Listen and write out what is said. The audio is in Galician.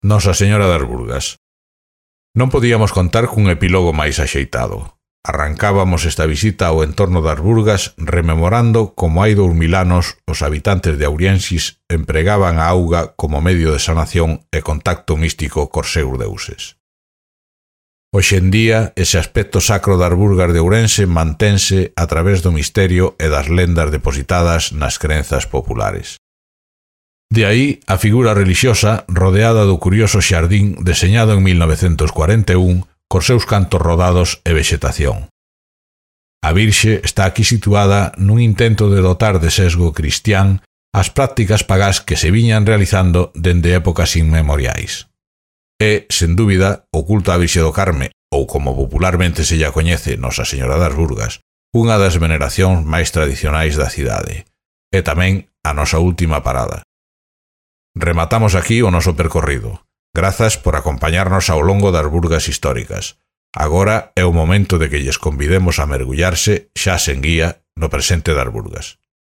Nosa Señora das Burgas. Non podíamos contar cun epílogo máis axeitado. Arrancábamos esta visita ao entorno das Burgas rememorando como hai 2000 anos os habitantes de Auriensis empregaban a auga como medio de sanación e contacto místico cos seus deuses. Hoxe en día, ese aspecto sacro das Burgas de Ourense mantense a través do misterio e das lendas depositadas nas crenzas populares. De aí a figura relixiosa rodeada do curioso xardín deseñado en 1941 cos seus cantos rodados e vexetación. A Virxe está aquí situada nun intento de dotar de sesgo cristián as prácticas pagás que se viñan realizando dende épocas inmemoriais. É, sen dúbida, o culto á Virxe do Carme, ou como popularmente se lla coñece Nosa Señora das Burgas, unha das veneracións máis tradicionais da cidade. É tamén a nosa última parada. Rematamos aquí o noso percorrido. Grazas por acompañarnos ao longo das Burgas históricas. Agora é o momento de que lles convidemos a mergullarse, xa sen guía, no presente das Burgas.